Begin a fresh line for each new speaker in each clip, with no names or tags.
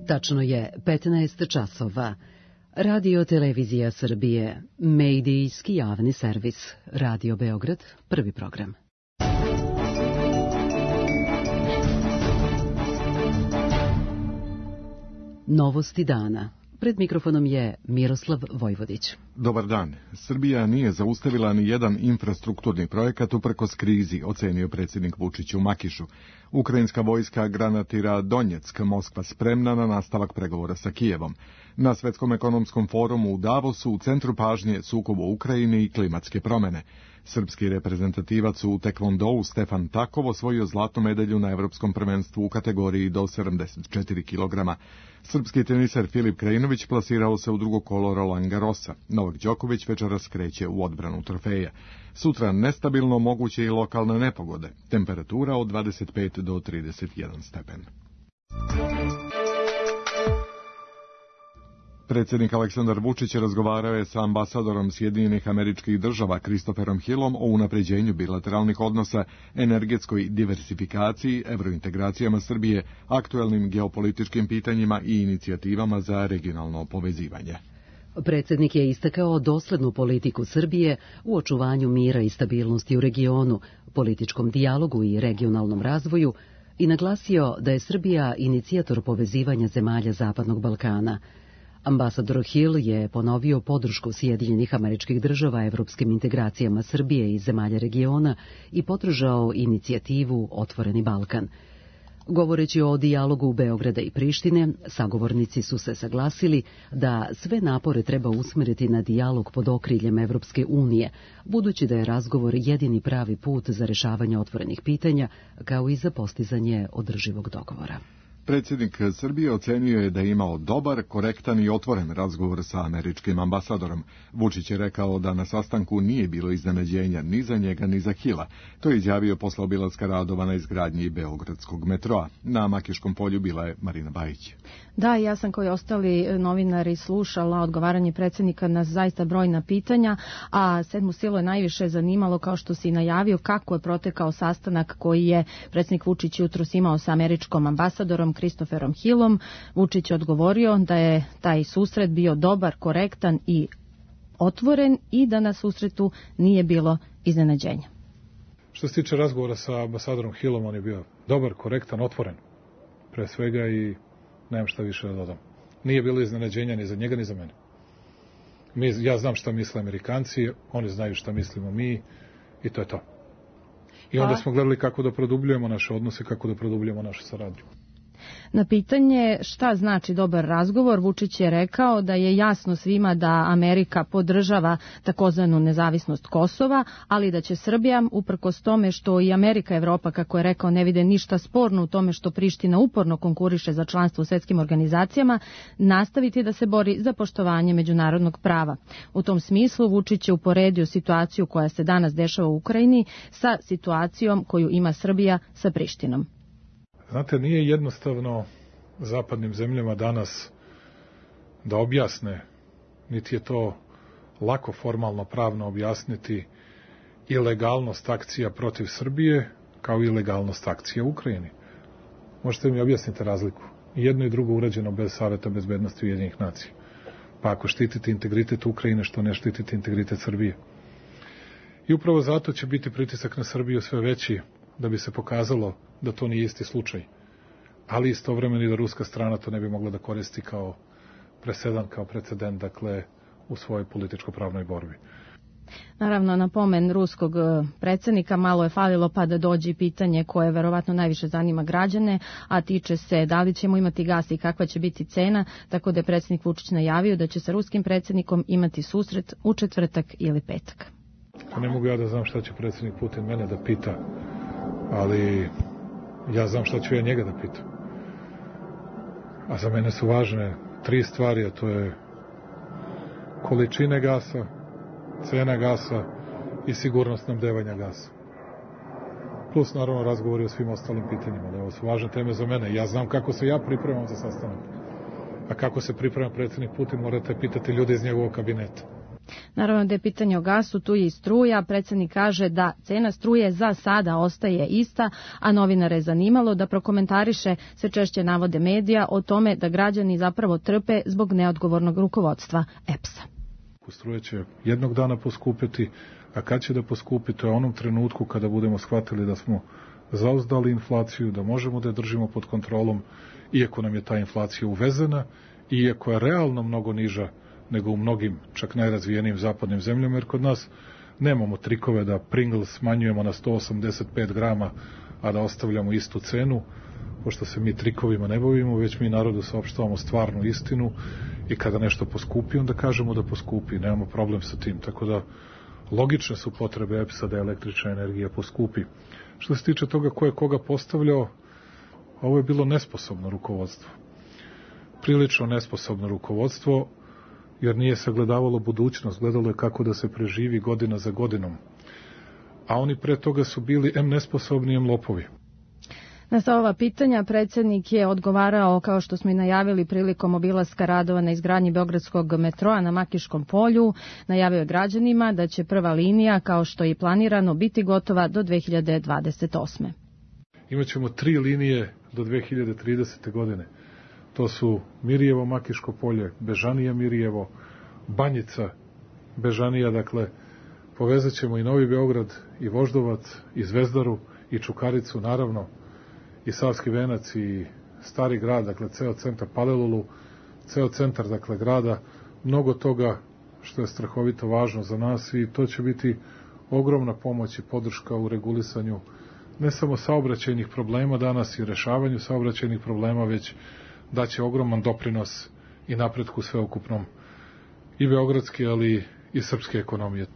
Tačno je 15 časova. Radio Televizija Srbije, medijski javni servis. Radio Beograd, prvi program. Novosti dana. Pred mikrofonom je Miroslav Vojvodić.
Dobar dan. Srbija nije zaustavila ni jedan infrastrukturni projekat uprkos krizi, ocenio predsjednik Vučić u Makišu. Ukrajinska vojska granatira Donjeck, Moskva spremna na nastavak pregovora sa Kijevom. Na Svetskom ekonomskom forumu u Davosu u centru pažnje sukob u Ukrajini i klimatske promjene. Srpski reprezentativac u tekvondou Stefan Takov osvojio zlatnu medalju na Evropskom prvenstvu u kategoriji do 74 kg. Srpski teniser Filip Krajinović plasirao se u drugo kolo Roland Garrosa. Novak Đoković večeras kreće u odbranu trofeja. Sutra nestabilno moguće i lokalne nepogode. Temperatura od 25 do 31 stepen. Predsjednik Aleksandar Vučić razgovarao je sa ambasadorom Sjedinjenih Američkih Država Christopherom Hillom o unapređenju bilateralnih odnosa, energetskoj diversifikaciji, evrointegracijama Srbije, aktuelnim geopolitičkim pitanjima i inicijativama za regionalno povezivanje.
Predsjednik je istakao doslednu politiku Srbije u očuvanju mira i stabilnosti u regionu, političkom dijalogu i regionalnom razvoju i naglasio da je Srbija inicijator povezivanja zemalja Zapadnog Balkana. Ambasador Hill je ponovio podršku Sjedinjenih Američkih Država evropskim integracijama Srbije i zemalja regiona i podržao inicijativu Otvoreni Balkan. Govoreći o dijalogu Beograda i Prištine, sagovornici su se saglasili da sve napore treba usmjeriti na dijalog pod okriljem Evropske unije, budući da je razgovor jedini pravi put za rješavanje otvorenih pitanja, kao i za postizanje održivog dogovora.
Predsjednik Srbije ocenio je da je imao dobar, korektan i otvoren razgovor sa američkim ambasadorom. Vučić je rekao da na sastanku nije bilo iznenađenja ni za njega ni za Hila. To je izjavio posle obilaska radova na izgradnji Beogradskog metroa. Na Makiškom polju bila je Marina Bajić.
Da, ja sam kao i ostali novinari slušala odgovaranje predsjednika na zaista brojna pitanja, a sedmu silu je najviše zanimalo, kao što si najavio, kako je protekao sastanak koji je predsjednik Vučić jutros imao sa američkom ambasadorom Christopherom Hillom. Vučić je odgovorio da je taj susret bio dobar, korektan i otvoren i da na susretu nije bilo iznenađenja.
Što se tiče razgovora sa ambasadorom Hillom, on je bio dobar, korektan, otvoren pre svega i nemam šta više da dodam. Nije bilo iznenađenja ni za njega ni za mene. Ja znam šta misle Amerikanci, oni znaju šta mislimo mi i to je to. I onda smo gledali kako da produbljujemo naše odnose, kako da produbljujemo našu saradnju.
Na pitanje šta znači dobar razgovor, Vučić je rekao da je jasno svima da Amerika podržava takozvanu nezavisnost Kosova, ali da će Srbija, uprkos tome što i Amerika i Evropa, kako je rekao, ne vide ništa sporno u tome što Priština uporno konkuriše za članstvo u svetskim organizacijama, nastaviti da se bori za poštovanje međunarodnog prava. U tom smislu Vučić je uporedio situaciju koja se danas dešava u Ukrajini sa situacijom koju ima Srbija sa Prištinom.
Znate, nije jednostavno zapadnim zemljama danas da objasne, niti je to lako formalno pravno objasniti ilegalnost akcija protiv Srbije kao i ilegalnost akcija u Ukrajini. Možete mi objasniti razliku? Jedno i drugo urađeno bez Saveta bezbednosti Ujedinjenih nacija. Pa ako štitite integritet Ukrajine, što ne štitite integritet Srbije? I upravo zato će biti pritisak na Srbiju sve veći, da bi se pokazalo da to nije isti slučaj. Ali istovremeno i da ruska strana to ne bi mogla da koristi kao presedan, kao precedent, dakle, u svojoj političko-pravnoj borbi.
Naravno, na pomen ruskog predsjednika malo je falilo pa da dođe i pitanje koje verovatno najviše zanima građane, a tiče se da li ćemo imati gas i kakva će biti cena, tako da je predsjednik Vučić najavio da će sa ruskim predsjednikom imati susret u četvrtak ili petak.
Ne mogu ja da znam šta će predsjednik Putin mene da pita, ali ja znam šta ću ja njega da pitam. A za mene su važne 3 stvari, a to je količine gasa, cena gasa i sigurnost snabdevanja gasa. Plus, naravno, razgovori o svim ostalim pitanjima. Da ovo su važne teme za mene. Ja znam kako se ja pripremam za sastanak. A kako se priprema predsjednik Putin, morate pitati ljude iz njegovog kabineta.
Naravno da je pitanje o gasu, tu je i struja. Predsjednik kaže da cena struje za sada ostaje ista, a novinare je zanimalo da prokomentariše sve češće navode medija o tome da građani zapravo trpe zbog neodgovornog rukovodstva EPS-a.
Struja će jednog dana poskupiti, a kad će da poskupi, to je onom trenutku kada budemo shvatili da smo zauzdali inflaciju, da možemo da je držimo pod kontrolom, iako nam je ta inflacija uvezena, iako je realno mnogo niža nego u mnogim, čak najrazvijenijim zapadnim zemljama, jer kod nas nemamo trikove da Pringles smanjujemo na 185 grama, a da ostavljamo istu cenu, pošto se mi trikovima ne bavimo, već mi narodu saopštavamo stvarnu istinu i kada nešto poskupi, onda kažemo da poskupi, nemamo problem sa tim, tako da logične su potrebe EPS-a da električna energija poskupi. Što se tiče toga ko je koga postavljao, ovo je bilo nesposobno rukovodstvo. Prilično nesposobno rukovodstvo, jer nije sagledavalo budućnost, gledalo je kako da se preživi godina za godinom. A oni pre toga su bili nesposobni, lopovi.
Na sva ova pitanja predsjednik je odgovarao, kao što smo i najavili, prilikom obilaska radova na izgradnji beogradskog metroa na Makiškom polju. Najavio je građanima da će prva linija, kao što je i planirano, biti gotova do 2028.
Imaćemo 3 linije do 2030. godine. To su Mirjevo, Makiško polje, Bežanija, Mirjevo, Banjica, Bežanija, dakle, povezat ćemo i Novi Beograd, i Voždovac, i Zvezdaru, i Čukaricu, naravno, i Savski venac, i Stari grad, dakle, ceo centar Palilulu, ceo centar, dakle, grada, mnogo toga što je strahovito važno za nas i to će biti ogromna pomoć i podrška u regulisanju ne samo saobraćajnih problema danas i rešavanju saobraćajnih problema, već daće ogroman doprinos i napretku sveukupnom i beogradske, ali i srpske ekonomije.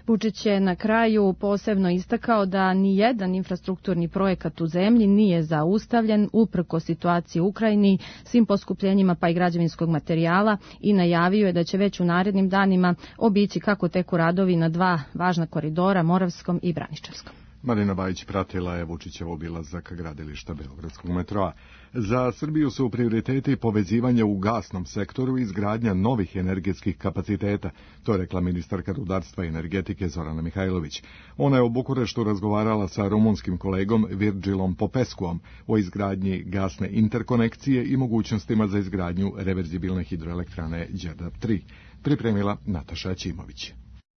Vučić je na kraju posebno istakao da ni jedan infrastrukturni projekat u zemlji nije zaustavljen uprkos situaciji u Ukrajini, svim poskupljenjima pa i građevinskog materijala i najavio je da će već u narednim danima obići kako teku radovi na 2 važna koridora, Moravskom i Braničevskom.
Marina Bajić pratila je Vučićev obilazak gradilišta beogradskog metroa. Za Srbiju su prioriteti povezivanje u gasnom sektoru i izgradnja novih energetskih kapaciteta, to je rekla ministarka rudarstva i energetike Zorana Mihajlović. Ona je u Bukureštu razgovarala sa rumunskim kolegom Virgilom Popescuom o izgradnji gasne interkonekcije i mogućnostima za izgradnju reverzibilne hidroelektrane Đerdap 3. Pripremila Nataša Ćimović.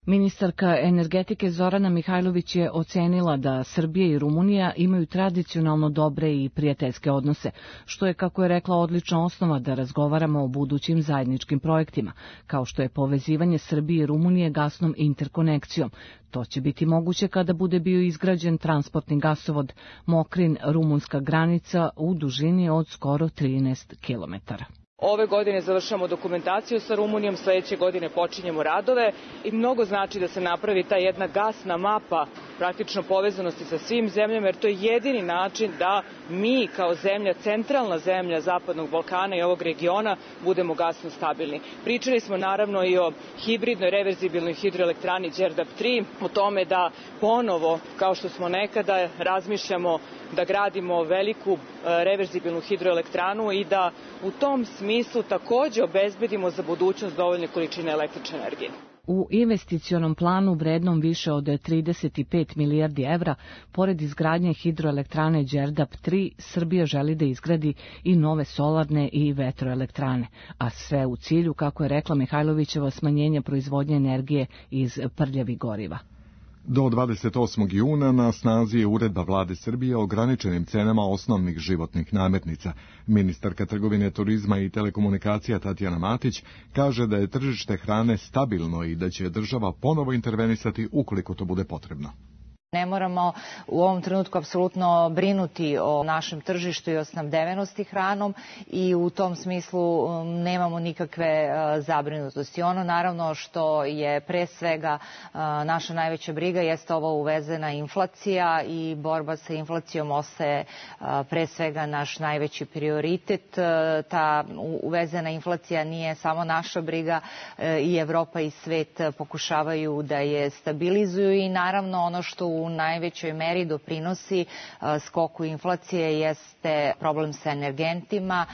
Ministarka energetike Zorana Mihajlović je ocenila da Srbija i Rumunija imaju tradicionalno dobre i prijateljske odnose, što je, kako je rekla, odlična osnova da razgovaramo o budućim zajedničkim projektima, kao što je povezivanje Srbije i Rumunije gasnom interkonekcijom. To će biti moguće kada bude bio izgrađen transportni gasovod Mokrin-rumunska granica u dužini od skoro 13 kilometara.
Ove godine završamo dokumentaciju sa Rumunijom, sledeće godine počinjemo radove i mnogo znači da se napravi ta jedna gasna mapa praktično povezanosti sa svim zemljama, jer to je jedini način da mi kao zemlja, centralna zemlja Zapadnog Balkana i ovog regiona budemo gasno stabilni. Pričali smo naravno i o hibridnoj reverzibilnoj hidroelektrani Đerdap 3, o tome da ponovo, kao što smo nekada, razmišljamo da gradimo veliku reverzibilnu hidroelektranu i da u tom smislu takođe obezbedimo za budućnost dovoljne količine električne energije.
U investicionom planu vrednom više od 35 milijardi evra, pored izgradnje hidroelektrane Đerdap 3, Srbija želi da izgradi i nove solarne i vetroelektrane, a sve u cilju, kako je rekla Mihajlovićeva, smanjenja proizvodnje energije iz prljavih goriva.
Do 28. juna na snazi je uredba vlade Srbije o ograničenim cenama osnovnih životnih namirnica. Ministarka trgovine, turizma i telekomunikacija Tatjana Matić kaže da je tržište hrane stabilno i da će država ponovo intervenisati ukoliko to bude potrebno.
Ne moramo u ovom trenutku apsolutno brinuti o našem tržištu i o snabdevenosti hranom i u tom smislu nemamo nikakve zabrinutosti. Ono naravno što je pre svega naša najveća briga jeste ova uvezena inflacija i borba sa inflacijom ostaje pre svega naš najveći prioritet. Ta uvezena inflacija nije samo naša briga, i Evropa i svet pokušavaju da je stabilizuju i naravno ono što u najvećoj meri doprinosi skoku inflacije jeste problem sa energentima.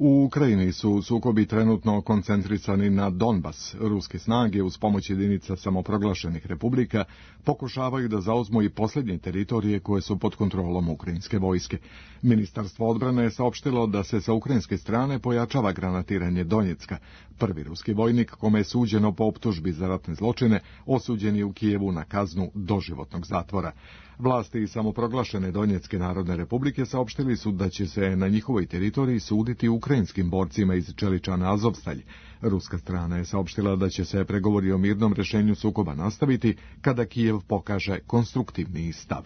U Ukrajini su sukobi trenutno koncentrisani na Donbas. Ruske snage uz pomoć jedinica samoproglašenih republika pokušavaju da zauzmu i posljednje teritorije koje su pod kontrolom ukrajinske vojske. Ministarstvo odbrane je saopštilo da se sa ukrajinske strane pojačava granatiranje Donjecka. Prvi ruski vojnik, kome je suđeno po optužbi za ratne zločine, osuđen je u Kijevu na kaznu doživotnog zatvora. Vlasti samoproglašene Donjecke narodne republike saopštili su da će se na njihovoj teritoriji suditi ukrajinskim borcima iz Čeličana Azovstalj. Ruska strana je saopštila da će se pregovori o mirnom rešenju sukoba nastaviti kada Kijev pokaže konstruktivniji stav.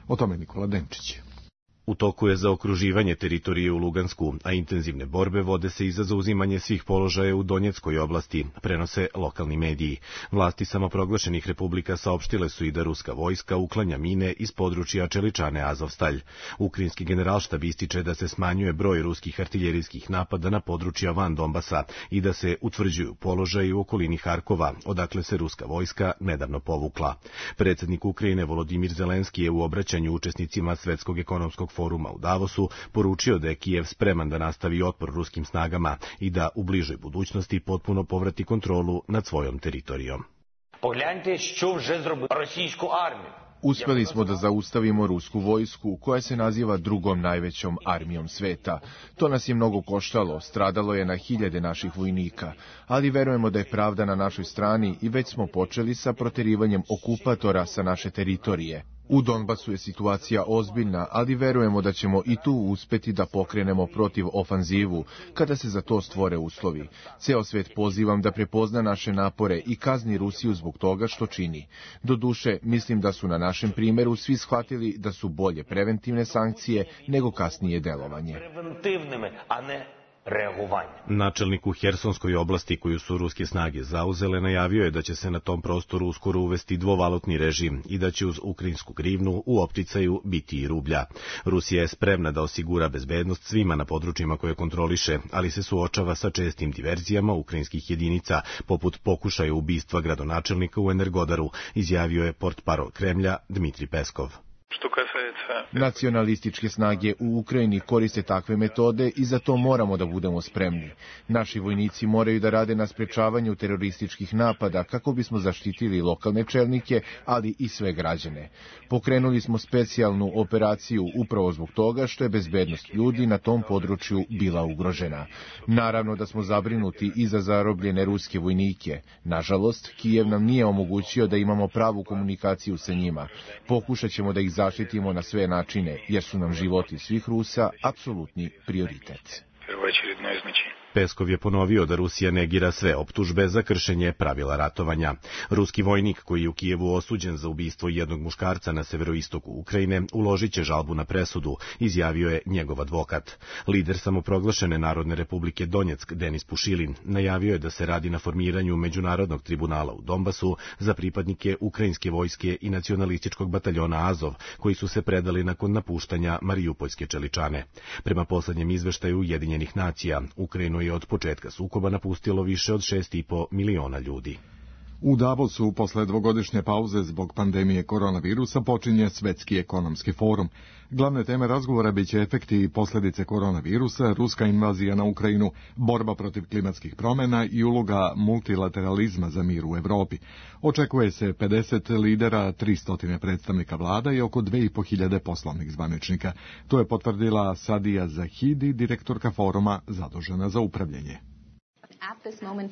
O tome Nikola Denčić.
U toku je zaokruživanje teritorije u Lugansku, a intenzivne borbe vode se i za zauzimanje svih položaja u Donjeckoj oblasti, prenose lokalni mediji. Vlasti samoproglašenih republika saopštile su i da ruska vojska uklanja mine iz područja Čeličane Azovstalj. Ukrajinski generalštab ističe da se smanjuje broj ruskih artiljerijskih napada na područja van Donbasa i da se utvrđuju položaji u okolini Harkova, odakle se ruska vojska nedavno povukla. Predsjednik Ukrajine Volodimir Zelenski je u obraćanju učesnicima Svetskog ekonomskog foruma u Davosu poručio da je Kijev spreman da nastavi otpor ruskim snagama i da u bližoj budućnosti potpuno povrati kontrolu nad svojom teritorijom.
Погляньте, що вже зробила російську армію.
Uspeli smo da zaustavimo rusku vojsku, koja se naziva drugom najvećom armijom sveta. To nas je mnogo koštalo, stradalo je na hiljade naših vojnika, ali verujemo da je pravda na našoj strani i već smo počeli sa proterivanjem okupatora sa naše teritorije. U Donbasu je situacija ozbiljna, ali verujemo da ćemo i tu uspeti da pokrenemo protiv ofanzivu, kada se za to stvore uslovi. Ceo svet pozivam da prepozna naše napore i kazni Rusiju zbog toga što čini. Doduše, mislim da su na našem primjeru svi shvatili da su bolje preventivne sankcije nego kasnije delovanje.
Načelnik u Hersonskoj oblasti koju su ruske snage zauzele najavio je da će se na tom prostoru uskoro uvesti dvovalutni režim i da će uz ukrajinsku grivnu u opticaju biti i rublja. Rusija je spremna da osigura bezbednost svima na područjima koje kontroliše, ali se suočava sa čestim diverzijama ukrajinskih jedinica, poput pokušaja ubistva gradonačelnika u Energodaru, izjavio je portparol Kremlja Dmitri Peskov.
Nacionalističke snage u Ukrajini koriste takve metode i za to moramo da budemo spremni. Naši vojnici moraju da rade na sprečavanju terorističkih napada kako bismo zaštitili lokalne čelnike, ali i sve građane. Pokrenuli smo specijalnu operaciju upravo zbog toga što je bezbednost ljudi na tom području bila ugrožena. Naravno da smo zabrinuti i za zarobljene ruske vojnike. Nažalost, Kijev nam nije omogućio da imamo pravu komunikaciju sa njima. Pokušat ćemo da ih zaštitimo na sve načine, jer su nam životi svih Rusa apsolutni prioritet.
Peskov je ponovio da Rusija negira sve optužbe za kršenje pravila ratovanja. Ruski vojnik koji je u Kijevu osuđen za ubistvo jednog muškarca na severoistoku Ukrajine uložit će žalbu na presudu, izjavio je njegov advokat. Lider samoproglašene Narodne republike Donjeck, Denis Pušilin, najavio je da se radi na formiranju međunarodnog tribunala u Donbasu za pripadnike ukrajinske vojske i nacionalističkog bataljona Azov, koji su se predali nakon napuštanja Mariupolske Čeličane. Prema poslednjem izveštaju Ujedinjenih nacija, Ukrajinu je od početka sukoba napustilo više od 6,5 miliona ljudi.
U Davosu, posle dvogodišnje pauze zbog pandemije koronavirusa, počinje Svetski ekonomski forum. Glavne teme razgovora biće efekti i posljedice koronavirusa, ruska invazija na Ukrajinu, borba protiv klimatskih promjena i uloga multilateralizma za mir u Evropi. Očekuje se 50 lidera, 300 predstavnika vlada i oko 2500 poslovnih zvaničnika. To je potvrdila Sadija Zahidi, direktorka foruma zadužena za upravljanje.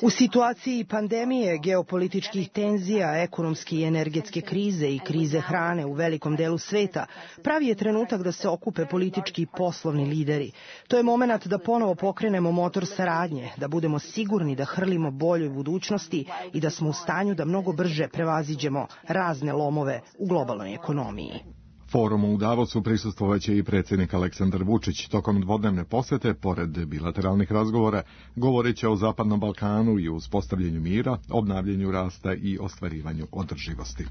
U situaciji pandemije, geopolitičkih tenzija, ekonomske i energetske krize i krize hrane u velikom delu sveta, pravi je trenutak da se okupe politički i poslovni lideri. To je moment da ponovo pokrenemo motor saradnje, da budemo sigurni da hrlimo boljoj budućnosti i da smo u stanju da mnogo brže prevaziđemo razne lomove u globalnoj ekonomiji.
Forumu u Davosu prisustvovaće i predsjednik Aleksandar Vučić. Tokom dvodnevne posete, pored bilateralnih razgovora, govorit će o Zapadnom Balkanu i uspostavljanju mira, obnavljanju rasta i ostvarivanju održivosti.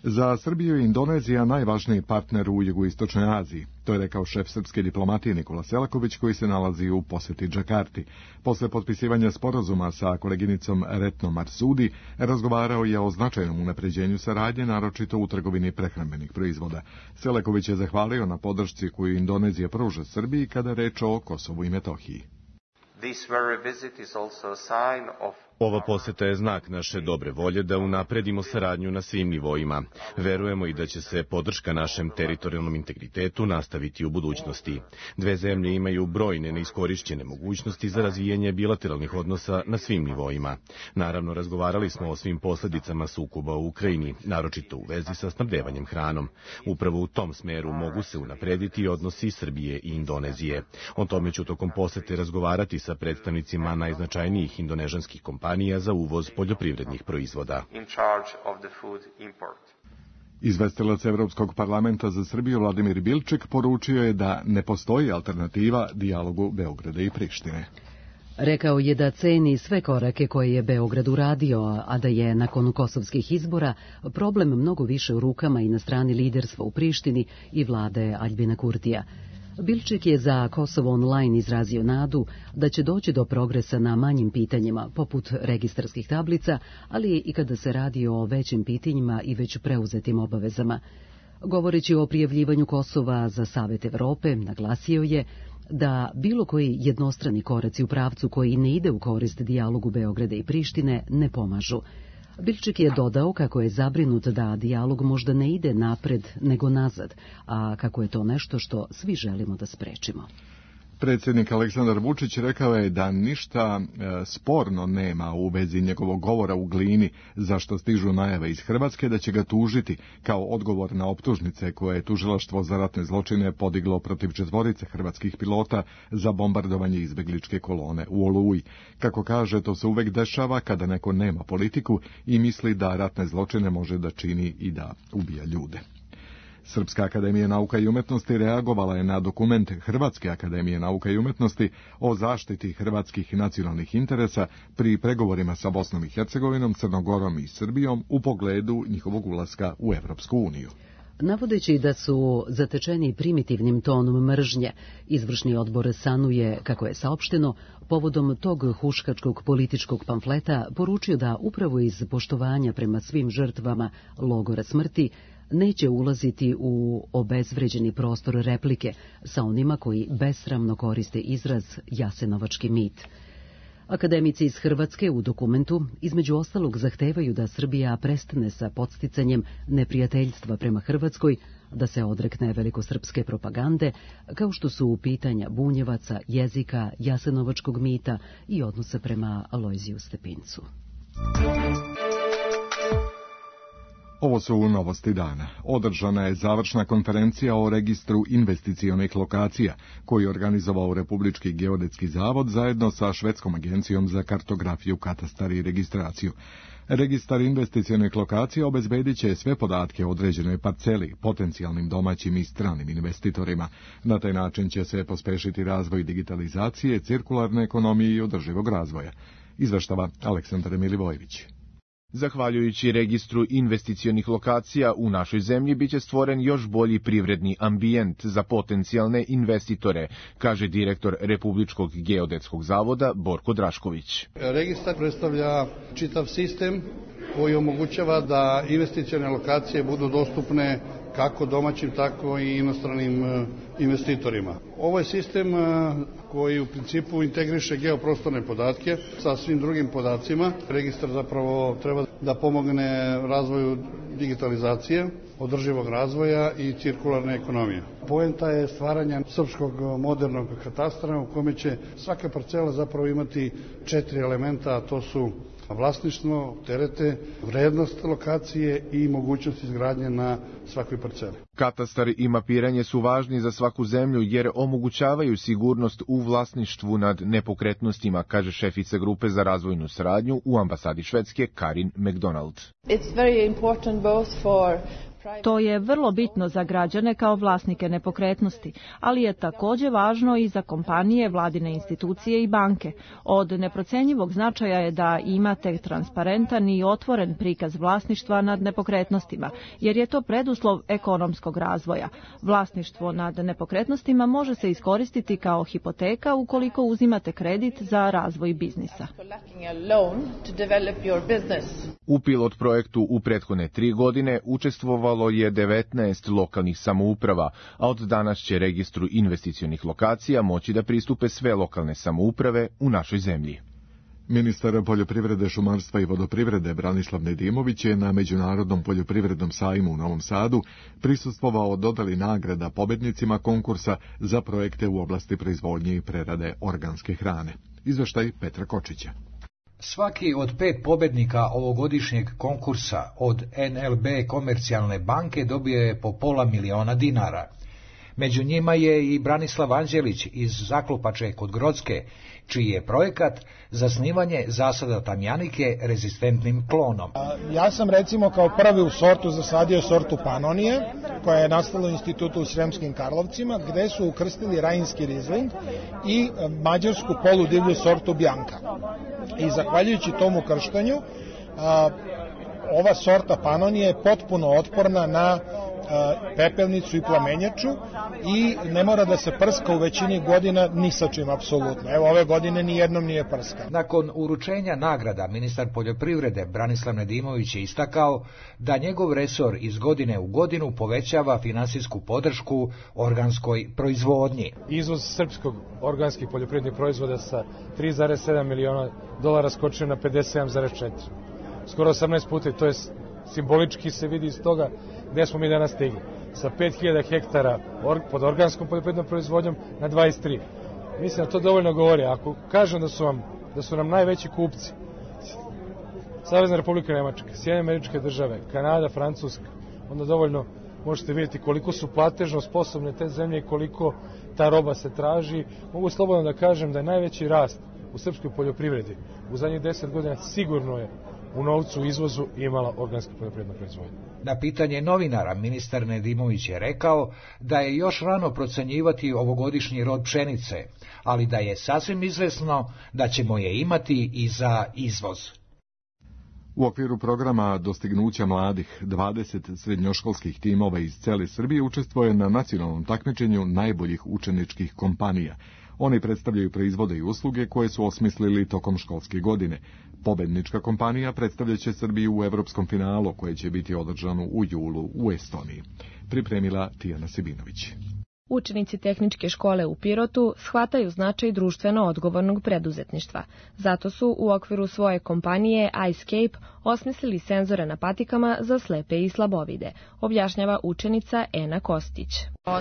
Za Srbiju je Indonezija najvažniji partner u jugoistočnoj Aziji. To je rekao šef srpske diplomatije Nikola Selaković, koji se nalazi u poseti Džakarti. Posle potpisivanja sporazuma sa koleginicom Retno Marsudi, razgovarao je o značajnom unapređenju saradnje, naročito u trgovini prehrambenih proizvoda. Selaković je zahvalio na podršci koju Indonezija pruža Srbiji kada je reč o Kosovu i Metohiji.
Ova poseta je znak naše dobre volje da unapredimo saradnju na svim nivoima. Verujemo i da će se podrška našem teritorijalnom integritetu nastaviti u budućnosti. Dve zemlje imaju brojne neiskorišćene mogućnosti za razvijanje bilateralnih odnosa na svim nivoima. Naravno, razgovarali smo o svim posledicama sukoba u Ukrajini, naročito u vezi sa snabdevanjem hranom. Upravo u tom smeru mogu se unaprediti odnosi Srbije i Indonezije. O tome ću tokom posete razgovarati sa predstavnicima najznačajnijih indonežanskih kompanija za uvoz poljoprivrednih proizvoda.
Izvestilac Evropskog parlamenta za Srbiju Vladimir Bilček poručio je da ne postoji alternativa dijalogu Beograda i Prištine.
Rekao je da ceni sve korake koje je Beograd uradio, a da je nakon kosovskih izbora problem mnogo više u rukama i na strani liderstva u Prištini i vlade Aljbina Kurtija. Bilčik je za Kosovo online izrazio nadu da će doći do progresa na manjim pitanjima, poput registarskih tablica, ali i kada se radi o većim pitanjima i već preuzetim obavezama. Govoreći o prijavljivanju Kosova za Savet Evrope, naglasio je da bilo koji jednostrani koraci u pravcu koji ne ide u korist dijalogu Beograda i Prištine ne pomažu. Bilčik je dodao kako je zabrinut da dijalog možda ne ide napred nego nazad, a kako je to nešto što svi želimo da sprečimo.
Predsjednik Aleksandar Vučić rekao je da ništa sporno nema u vezi njegovog govora u Glini, zašto stižu najave iz Hrvatske da će ga tužiti kao odgovor na optužnice koje je tužilaštvo za ratne zločine podiglo protiv 4 hrvatskih pilota za bombardovanje izbegličke kolone u Oluji. Kako kaže, to se uvek dešava kada neko nema politiku i misli da ratne zločine može da čini i da ubija ljude. Srpska akademija nauka i umetnosti reagovala je na dokument Hrvatske akademije nauka i umetnosti o zaštiti hrvatskih nacionalnih interesa pri pregovorima sa Bosnom i Hercegovinom, Crnogorom i Srbijom u pogledu njihovog ulaska u Evropsku uniju.
Navodeći da su zatečeni primitivnim tonom mržnje, izvršni odbor sanuje, kako je saopšteno, povodom tog huškačkog političkog pamfleta poručio da upravo iz poštovanja prema svim žrtvama logora smrti neće ulaziti u obezvređeni prostor replike sa onima koji besramno koriste izraz jasenovački mit. Akademici iz Hrvatske u dokumentu između ostalog zahtevaju da Srbija prestane sa podsticanjem neprijateljstva prema Hrvatskoj, da se odrekne velikosrpske propagande, kao što su pitanja bunjevaca, jezika, jasenovačkog mita i odnosa prema Alojziju Stepincu.
Ovo su novosti dana. Održana je završna konferencija o registru investicionih lokacija, koju je organizovao Republički geodetski zavod zajedno sa Švedskom agencijom za kartografiju, katastar i registraciju. Registar investicionih lokacija obezbedit će sve podatke o određenoj parceli, potencijalnim domaćim i stranim investitorima. Na taj način će se pospešiti razvoj digitalizacije, cirkularne ekonomije i održivog razvoja. Izveštava Aleksandar Milivojević.
Zahvaljujući registru investicionih lokacija u našoj zemlji biće stvoren još bolji privredni ambijent za potencijalne investitore, kaže direktor Republičkog geodetskog zavoda Borko Drašković.
Registar predstavlja čitav sistem koji omogućava da investicione lokacije budu dostupne kako domaćim, tako i inostranim investitorima. Ovo je sistem koji u principu integriše geoprostorne podatke sa svim drugim podacima. Registar zapravo treba da pomogne razvoju digitalizacije, održivog razvoja i cirkularne ekonomije. Poenta je stvaranja srpskog modernog katastra u kome će svaka parcela zapravo imati 4 elementa, a to su vlasništvo, terete, vrednost lokacije i mogućnost izgradnje na svakoj parceli.
Katastar i mapiranje su važni za svaku zemlju jer omogućavaju sigurnost u vlasništvu nad nepokretnostima, kaže šefica grupe za razvojnu saradnju u ambasadi Švedske Karin McDonald.
It's very important both for To je vrlo bitno za građane kao vlasnike nepokretnosti, ali je također važno i za kompanije, vladine institucije i banke. Od neprocenjivog značaja je da imate transparentan i otvoren prikaz vlasništva nad nepokretnostima, jer je to preduslov ekonomskog razvoja. Vlasništvo nad nepokretnostima može se iskoristiti kao hipoteka ukoliko uzimate kredit za razvoj biznisa.
U pilot projektu u prethodne 3 godine učestvovalo je 19 lokalnih samouprava, a od danas će registru investicionih lokacija moći da pristupe sve lokalne samouprave u našoj zemlji.
Ministar poljoprivrede, šumarstva i vodoprivrede Branislav Nedimović je na Međunarodnom poljoprivrednom sajmu u Novom Sadu prisustvovao dodali nagrada pobednicima konkursa za projekte u oblasti proizvodnje i prerade organske hrane. Izveštaj Petra Kočića.
Svaki od 5 pobednika ovogodišnjeg konkursa od NLB Komercijalne banke dobio je po $500.000. Među njima je i Branislav Anđelić iz Zaklopače kod Grocke, čiji je projekat zasnivanje zasada tamjanike rezistentnim klonom.
Ja sam recimo kao prvi u sortu zasadio sortu Panonije, koja je nastala u institutu u Sremskim Karlovcima, gde su ukrstili rajinski rizling i mađarsku poludivlju sortu Bjanka. I zahvaljujući tom ukrštanju, ova sorta Panonije je potpuno otporna na pepelnicu i plamenjaču i ne mora da se prska u većini godina ni sa čim apsolutno. Evo, ove godine ni jednom nije prska.
Nakon uručenja nagrada, ministar poljoprivrede Branislav Nedimović je istakao da njegov resor iz godine u godinu povećava finansijsku podršku organskoj proizvodnji.
Izvoz srpskog organskih poljoprivrednih proizvoda sa $3,7 miliona skočio na 57,4. Skoro 18 puta, i to je simbolički se vidi iz toga gde smo mi danas stigli. Sa 5000 hektara pod organskom poljoprivrednom proizvodnjom na 23. Mislim da to dovoljno govori. Ako kažem da su nam najveći kupci Savezna Republika Nemačka, Sjedinjene Američke Države, Kanada, Francuska, onda dovoljno možete vidjeti koliko su platežno sposobne te zemlje i koliko ta roba se traži. Mogu slobodno da kažem da je najveći rast u srpskoj poljoprivredi u zadnjih 10 godina sigurno je u novcu u izvozu imala organska poljoprivredna proizvodnja.
Na pitanje novinara ministar Nedimović je rekao da je još rano procenjivati ovogodišnji rod pšenice, ali da je sasvim izvesno da ćemo je imati i za izvoz.
U okviru programa Dostignuća mladih, 20 srednjoškolskih timova iz cele Srbije učestvuje na nacionalnom takmičenju najboljih učeničkih kompanija. Oni predstavljaju proizvode i usluge koje su osmislili tokom školske godine. Pobednička kompanija predstavljaće Srbiju u evropskom finalu koje će biti održano u julu u Estoniji. Pripremila Tijana Sibinović.
Učenici tehničke škole u Pirotu shvataju značaj društveno odgovornog preduzetništva. Zato su u okviru svoje kompanije iScape osmislili senzore na patikama za slepe i slabovide, objašnjava učenica Ena Kostić.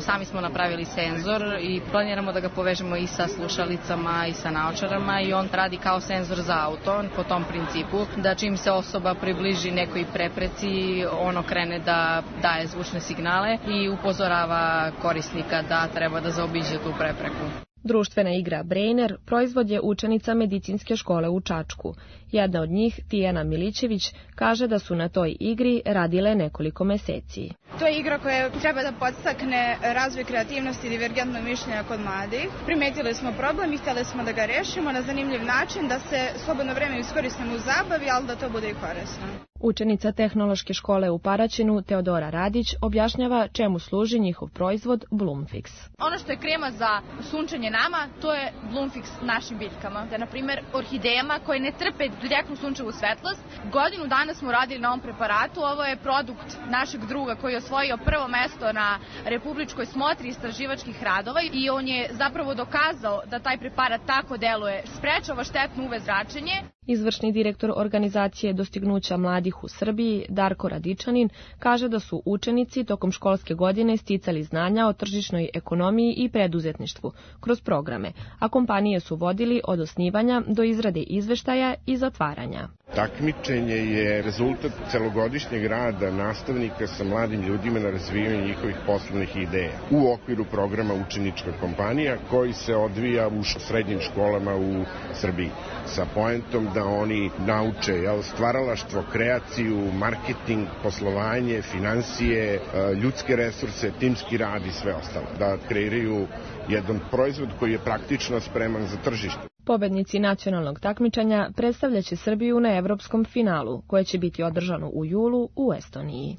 Sami smo napravili senzor i planiramo da ga povežemo i sa slušalicama i sa naočarama i on radi kao senzor za auto po tom principu da čim se osoba približi nekoj prepreci, ono krene da daje zvučne signale i upozorava korisnika da treba da zaobiđe tu prepreku.
Društvena igra Brainer proizvod je učenica medicinske škole u Čačku. Jedna od njih, Tijana Milićević, kaže da su na toj igri radile nekoliko meseci.
To je igra koja treba da podstakne razvoj kreativnosti i divergentnog mišljenja kod mladih. Primetili smo problem i htjeli smo da ga rešimo na zanimljiv način, da se slobodno vreme iskoristimo u zabavi, ali da to bude i korisno.
Učenica tehnološke škole u Paraćinu, Teodora Radić, objašnjava čemu služi njihov proizvod Bloomfix.
Ono što je krema za sunčanje nama, to je Bloomfix našim biljkama. Da, na primjer, orhidejama koje ne trpe direktnu sunčevu svetlost. Godinu dana smo radili na ovom preparatu. Ovo je produkt našeg druga koji je osvojio prvo mesto na republičkoj smotri istraživačkih radova i on je zapravo dokazao da taj preparat tako deluje, sprečava štetno UV zračenje.
Izvršni direktor organizacije Dostignuća mladih u Srbiji, Darko Radičanin, kaže da su učenici tokom školske godine sticali znanja o tržišnoj ekonomiji i preduzetništvu kroz programe, a kompanije su vodili od osnivanja do izrade izveštaja i zatvaranja.
Takmičenje je rezultat celogodišnjeg rada nastavnika sa mladim ljudima na razvijanju njihovih poslovnih ideja u okviru programa Učenička kompanija koji se odvija u srednjim školama u Srbiji sa poentom da da oni nauče stvaralaštvo, kreaciju, marketing, poslovanje, finansije, ljudske resurse, timski rad i sve ostalo. Da kreiraju jedan proizvod koji je praktično spreman za tržište.
Pobednici nacionalnog takmičenja predstavljaće Srbiju na evropskom finalu, koje će biti održano u julu u Estoniji.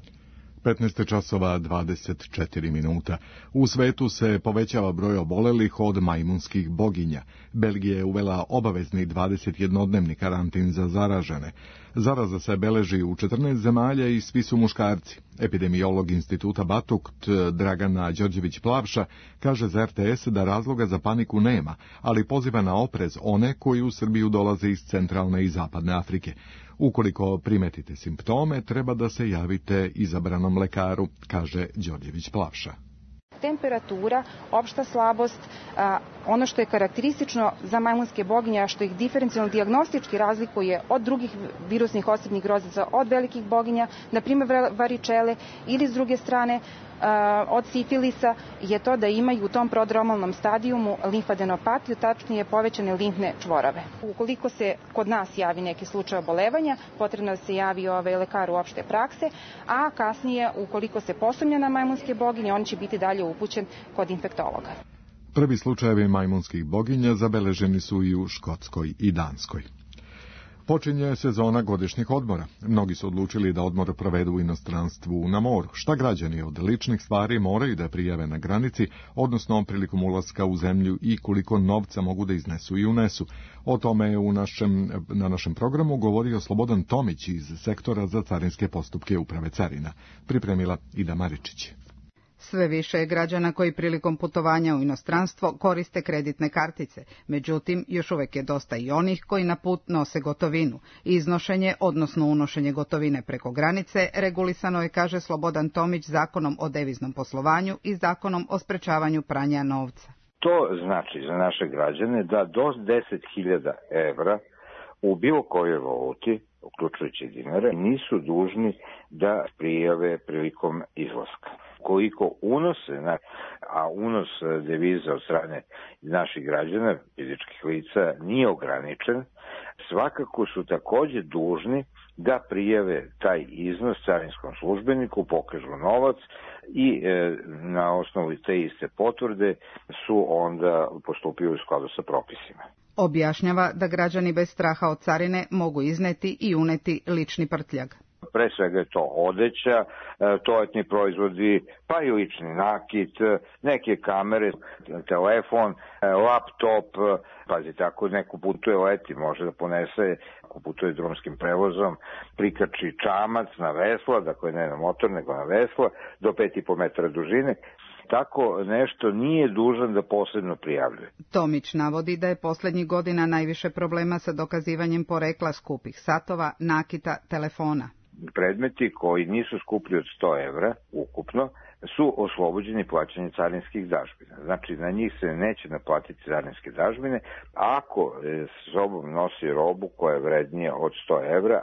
15 časova 24 minuta. U svetu se povećava broj obolelih od majmunskih boginja. Belgija je uvela obavezni 21-dnevni karantin za zaražene. Zaraza se beleži u 14 zemalja i svi su muškarci. Epidemiolog instituta Batukt Dragana Đorđević-Plavša kaže za RTS da razloga za paniku nema, ali poziva na oprez one koji u Srbiju dolaze iz centralne i zapadne Afrike. Ukoliko primetite simptome, treba da se javite izabranom lekaru, kaže Đorđević-Plavša.
Temperatura, opšta slabost, ono što je karakteristično za majmunske boginje, a što ih diferencijalno dijagnostički razlikuje od drugih virusnih osipnih grozica, od velikih boginja, na primjer varičele, ili s druge strane od sifilisa, je to da imaju u tom prodromalnom stadijumu limfadenopatiju, tačnije povećane limfne čvorove. Ukoliko se kod nas javi neki slučaj obolevanja, potrebno da se javi lekaru opšte prakse, a kasnije, ukoliko se posumnja na majmunske boginje, on će biti dalje upućen kod infektologa.
Prvi slučajevi majmunskih boginja zabeleženi su i u Škotskoj i Danskoj. Počinje sezona godišnjih odmora. Mnogi su odlučili da odmor provedu u inostranstvu na moru. Šta građani od ličnih stvari moraju da prijave na granici, odnosno prilikom ulaska u zemlju i koliko novca mogu da iznesu i unesu. O tome je na našem programu govorio Slobodan Tomić iz sektora za carinske postupke Uprave carina. Pripremila Ida Maričić.
Sve više je građana koji prilikom putovanja u inostranstvo koriste kreditne kartice, međutim još uvek je dosta i onih koji na put nose gotovinu. Iznošenje, odnosno unošenje gotovine preko granice, regulisano je, kaže Slobodan Tomić, zakonom o deviznom poslovanju i zakonom o sprečavanju pranja novca.
To znači za naše građane da do 10.000 evra u bilo kojoj valuti, uključujući dinare, nisu dužni da prijave prilikom izlaska. Koliko unose, a unos deviza od strane naših građana, fizičkih lica, nije ograničen, svakako su takođe dužni da prijave taj iznos carinskom službeniku, pokažu novac i na osnovu te iste potvrde su onda postupili u skladu sa propisima.
Objašnjava da građani bez straha od carine mogu izneti i uneti lični prtljag.
Pre svega je to odeća, toaletni proizvodi, pa i lični nakit, neke kamere, telefon, laptop, pazite, ako neko putuje leti, može da ponese, ako putuje drumskim prevozom, prikači čamac na vesla, dakle ne na motor, nego na vesla, do 5,5 metara dužine. Tako nešto nije dužan da posebno prijavljuje.
Tomić navodi da je poslednjih godina najviše problema sa dokazivanjem porekla skupih satova, nakita, telefona.
Predmeti koji nisu skuplji od 100 evra ukupno su oslobođeni plaćanja carinskih dažbina. Znači, na njih se neće naplatiti carinske dažbine ako s sobom nosi robu koja je vrednija od 100 evra.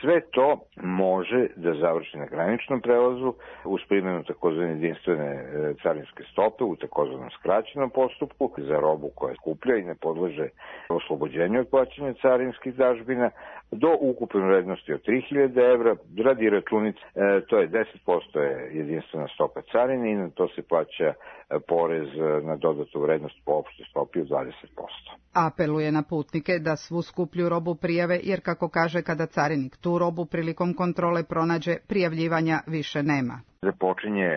Sve to može da završi na graničnom prelazu uz primjenu takozvane jedinstvene carinske stope u takozvanom skraćenom postupku za robu koja je skuplja i ne podleže oslobođenju od plaćanja carinskih dažbina do ukupne vrednosti od 3.000 evra. Radi računice, to je 10% je jedinstvena stopa carine i na to se plaća porez na dodatu vrednost po opštoj stopi od 20%.
Apeluje na putnike da svu skuplju robu prijave, jer kako kaže, kada carinik tu robu prilikom kontrole pronađe, prijavljivanja više nema.
Započinje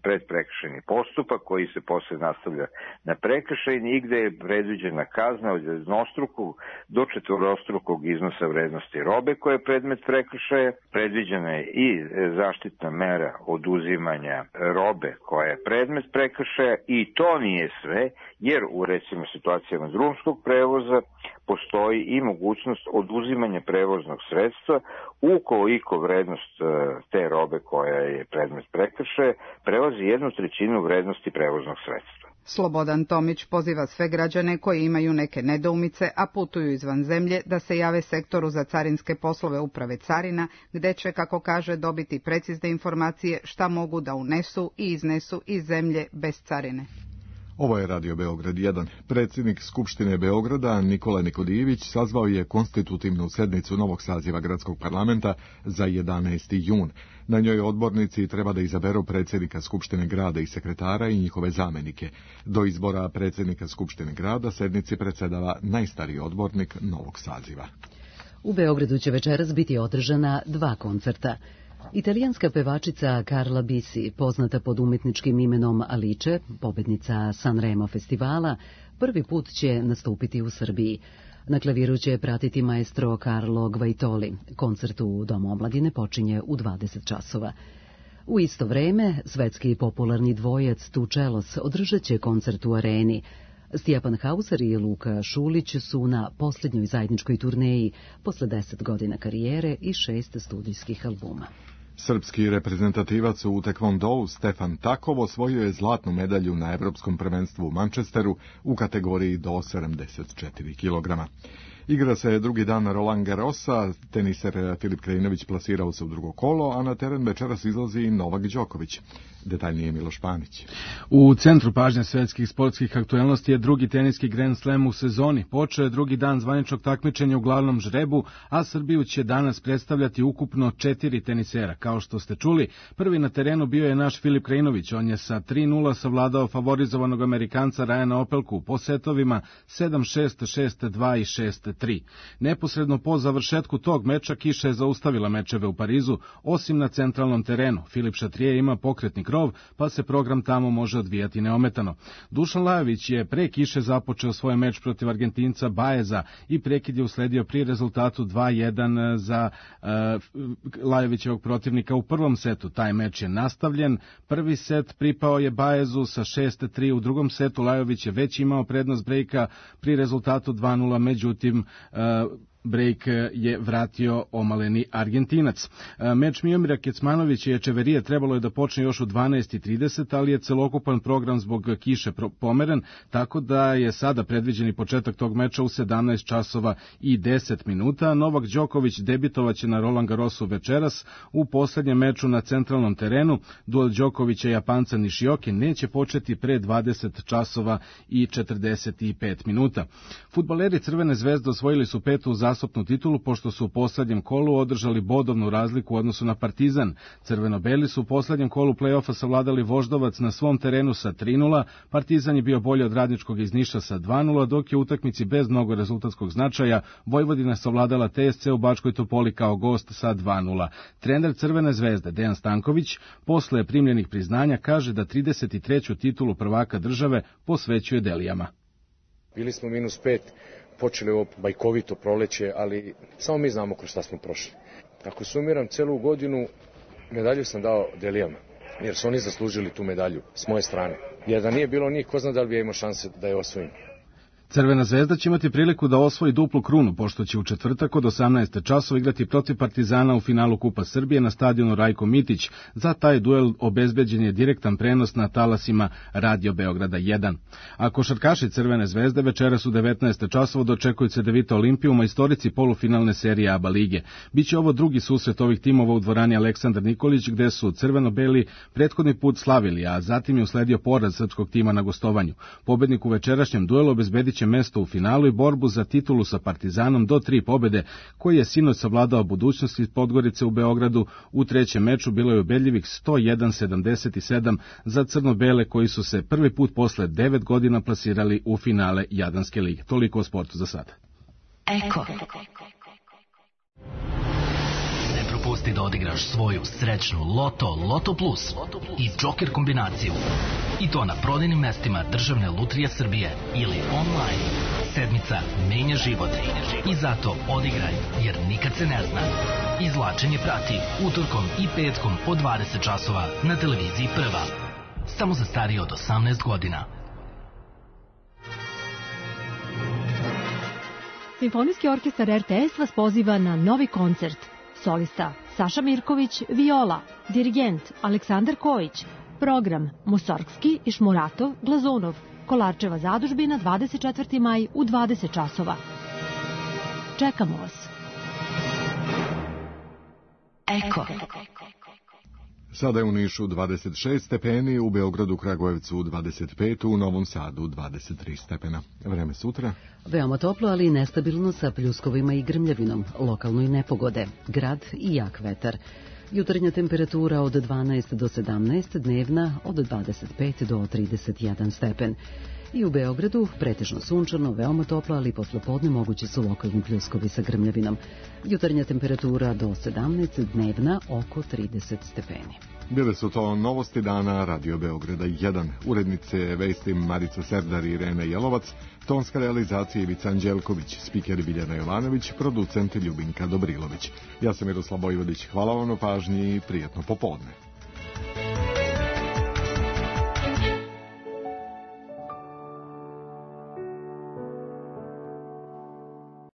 predprekršajni postupak koji se posle nastavlja na prekršajni i gde je predviđena kazna od jednostrukog do četvorostrukog iznosa vrednosti robe koja je predmet prekršaja. Predviđena je i zaštitna mera oduzimanja robe koja je predmet prekršaja i to nije sve, jer u recimo situacijama drumskog prevoza postoji i mogućnost oduzimanja prevoznog sredstva ukoliko vrednost te robe koja je predmet prekršaja prelazi 1/3 vrednosti prevoznog sredstva.
Slobodan Tomić poziva sve građane koji imaju neke nedoumice, a putuju izvan zemlje, da se jave sektoru za carinske poslove Uprave carina, gde će, kako kaže, dobiti precizne informacije šta mogu da unesu i iznesu iz zemlje bez carine.
Ovo je Radio Beograd 1. Predsjednik Skupštine Beograda Nikola Nikodijević sazvao je konstitutivnu sednicu novog saziva gradskog parlamenta za 11. jun. Na njoj odbornici treba da izaberu predsjednika Skupštine grada i sekretara i njihove zamenike. Do izbora predsjednika Skupštine grada sednici predsjedava najstariji odbornik novog saziva.
U Beogradu će večeras biti održana 2 koncerta. Italijanska pevačica Carla Bisi, poznata pod umjetničkim imenom Alice, pobednica Sanremo festivala, prvi put će nastupiti u Srbiji. Na klaviru će pratiti maestro Carlo Gvaitoli. Koncert u Domu omladine počinje u 20 časova. U isto vreme, svetski popularni dvojac Tu Čelos održat će koncert u areni. Stjepan Hauser i Luka Šulić su na posljednjoj zajedničkoj turneji posle 10 godina karijere i 6 studijskih albuma.
Srpski reprezentativac u tekvondou Stefan Takov osvojio je zlatnu medalju na Evropskom prvenstvu u Manchesteru u kategoriji do 74 kg. Igra se drugi dan Roland Garrosa, teniser Filip Krajinović plasirao se u drugo kolo, a na teren večeras izlazi i Novak Đoković. Detaljnije Miloš Panić.
U centru pažnje svetskih sportskih aktuelnosti je drugi teniski Grand Slam u sezoni. Počeo je drugi dan zvaničnog takmičenja u glavnom žrebu, a Srbiju će danas predstavljati ukupno 4 tenisera. Kao što ste čuli, prvi na terenu bio je naš Filip Krajinović. On je sa 3:0 savladao favorizovanog Amerikanca Ryana Opelku po setovima 7-6, 6-2 i 6-3. Neposredno po završetku tog meča kiša je zaustavila mečeve u Parizu, osim na centralnom terenu. Filip Šatrije ima pokretni krov, pa se program tamo može odvijati neometano. Dušan Lajović je pre kiše započeo svoj meč protiv Argentinca Baeza i prekid je usledio pri rezultatu 2:1 za Lajovićevog protivnika u prvom setu. Taj meč je nastavljen. Prvi set pripao je Baezu sa 6-3, u drugom setu Lajović je već imao prednost brejka pri rezultatu 2:0, međutim brejk je vratio omaleni Argentinac. Meč Miomira Kecmanovića i Echeverije trebalo je da počne još u 12:30, ali je celokupan program zbog kiše pomeren, tako da je sada predviđeni početak tog meča u 17 časova i 10 minuta. Novak Đoković debitovaće na Roland Garrosu večeras u poslednjem meču na centralnom terenu. Duel Đokovića i Japanca Nishioke neće početi pre 20 časova i 45 minuta. Fudbaleri Crvene zvezde osvojili su 5. zasopnu titulu, pošto su u poslednjem kolu održali bodovnu razliku u odnosu na Partizan. Crveno-beli su u poslednjem kolu play-offa savladali Voždovac na svom terenu sa 3:0, Partizan je bio bolji od Radničkog iz Niša sa 2:0, dok je u utakmici bez mnogo rezultatskog značaja Vojvodina savladala TSC u Bačkoj Topoli kao gost sa 2:0. Trener Crvene zvezde Dejan Stanković posle primljenih priznanja kaže da 33. titulu prvaka države posvećuje Delijama.
Bili smo -5, počeli ovo bajkovito proleće, ali samo mi znamo kroz šta smo prošli. Ako sumiram celu godinu, medalju sam dao Delijama, jer su oni zaslužili tu medalju s moje strane. Jer da nije bilo njih, ko zna da li bi ja imao šanse da je osvojim.
Crvena zvezda će imati priliku da osvoji duplu krunu, pošto će u četvrtak od 18 časova igrati protiv Partizana u finalu Kupa Srbije na stadionu Rajko Mitić. Za taj duel obezbeđen je direktan prenos na talasima Radio Beograda 1. A košarkaši Crvene zvezde večeras u 19 časova dočekuju Cedevita Olimpiju u majstorici polufinalne serije ABA lige. Biće ovo drugi susret ovih timova u dvorani Aleksandar Nikolić, gde su crveno-beli prethodni put slavili, a zatim je usledio poraz srpskog tima na gostovanju. Pobednik u večerašnjem duelu obezbediće mesto u finalu i borbu za titulu sa Partizanom do 3 pobede, koji je sinoć savladao budućnost iz Podgorice u Beogradu. U trećem meču bilo je ubedljivih 101-77 za crno-bele, koji su se prvi put posle 9 godina plasirali u finale Jadranske lige. Toliko o sportu za sada.
Eko. Ne propusti da odigraš svoju srećnu Loto Plus i Joker kombinaciju. I to na prodajnim mestima Državne lutrije Srbije ili online. Sedmica menja život. I zato odigraj, jer nikad se ne zna. Izvlačenje prati utorkom i petkom od 20 časova na televiziji Prva. Samo za starije od 18 godina.
Simfonijski orkestar RTS vas poziva na novi koncert. Solista Saša Mirković, viola, dirigent Aleksandar Kojić, program Musorgski i Šmuratov, Glazunov, Kolarčeva zadužbina 24. maj u 20 časova. Čekamo vas.
Eko.
Sada je u Nišu 26 stepeni, u Beogradu, Kragujevcu 25, u Novom Sadu 23 stepena. Vreme sutra.
Veoma toplo, ali nestabilno sa pljuskovima i grmljavinom, lokalno i nepogode, grad i jak vetar. Jutarnja temperatura od 12 do 17, dnevna od 25 do 31 stepen. I u Beogradu pretežno sunčano, veoma toplo, ali poslepodne mogući su lokalni pljuskovi sa grmljavinom. Jutarnja temperatura do 17, dnevna oko 30 stepeni.
Bile su to novosti dana Radio Beograda 1. Urednice vesti Marica Serdar i Irena Jelovac, tonska realizacija Ivica Anđelković, spiker Biljana Jovanović, producent Ljubinka Dobrilović. Ja sam Miroslav Vojvodić, hvala vam na pažnji i prijatno popodne.